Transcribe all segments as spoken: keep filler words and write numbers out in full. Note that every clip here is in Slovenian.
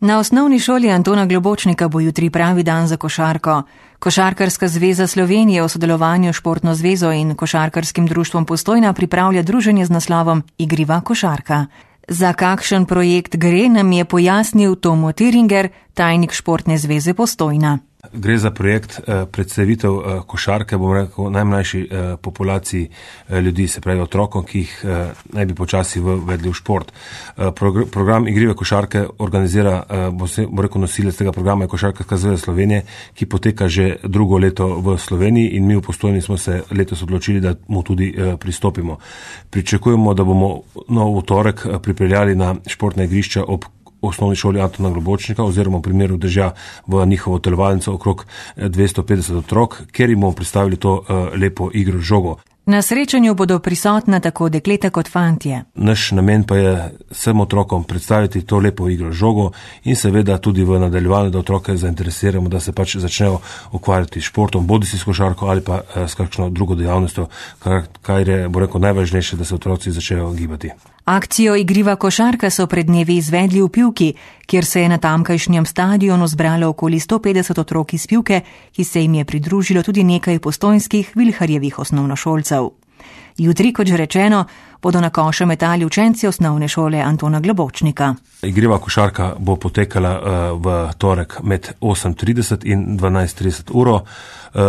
Na osnovni šoli Antona Globočnika bo jutri pravi dan za košarko. Košarkarska zveza Slovenije v sodelovanju s Športno zvezo in Košarkarskim društvom Postojna pripravlja druženje z naslovom Igriva košarka. Za kakšen projekt gre, nam je pojasnil Tomo Tiringer, tajnik Športne zveze Postojna. Gre za projekt predstavitev košarke, bom rekel, najmlajši populaciji ljudi, se pravi otrokom, ki jih naj bi počasi vedli v šport. Program Igrive košarke organizira, bom rekel, nosilec tega programa je Košarkarska zveza Slovenije, ki poteka že drugo leto v Sloveniji in mi v Postojni smo se letos odločili, da mu tudi pristopimo. Pričakujemo, da bomo nov torek pripeljali na športna igrišča ob osnovni šoli Antona Globočnika oziroma v primeru Dežja v njihovo telovadnico okrog dvesto petdeset otrok, kjer jim bomo predstavili to lepo igro žogo. Na srečanju bodo prisotna tako dekleta kot fantje. Naš namen pa je vsem otrokom predstaviti to lepo igro žogo in seveda tudi v nadaljevanju, da otroke zainteresiramo, da se pač začnejo ukvarjati s športom, bodisi s košarko ali pa s kakšno drugo dejavnostjo, kar je, bo rekel, najvažnejše, da se otroci začnejo gibati. Akcijo Igriva košarka so pred dnevi izvedli v Pivki, kjer se je na tamkajšnjem stadionu zbralo okoli sto petdeset otrok iz Pivke, ki se jim je pridružilo tudi nekaj postojnskih Vilharjevih osnovnošolcev. Jutri, kot že rečeno, bodo na koše metali učenci osnovne šole Antona Globočnika. Igriva košarka bo potekala uh, v torek med osem trideset in dvanajst trideset uro. Uh,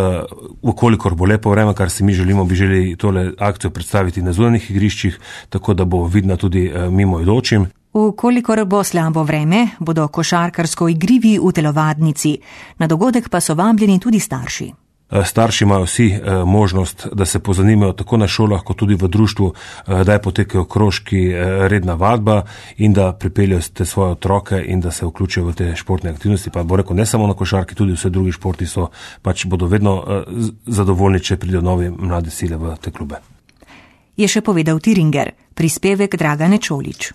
Ukolikor bo lepo vreme, kar si mi želimo, bi želeli tole akcijo predstaviti na zunanjih igriščih, tako da bo vidna tudi uh, mimoidočim. Ukolikor bo slabo vreme, bodo košarkarsko igrivi v telovadnici. Na dogodek pa so vabljeni tudi starši. Starši imajo vsi možnost, da se pozanimajo tako na šolah, kot tudi v društvu, da je potekajo krožki redna vadba in da pripeljajo te svoje otroke in da se vključijo v te športne aktivnosti. Pa bo rekel, ne samo na košarki, tudi vse drugi športi so, pač bodo vedno zadovoljni, če pridejo novi mlade sile v te klube. Je še povedal Tiringer, prispevek Dragane Čolić.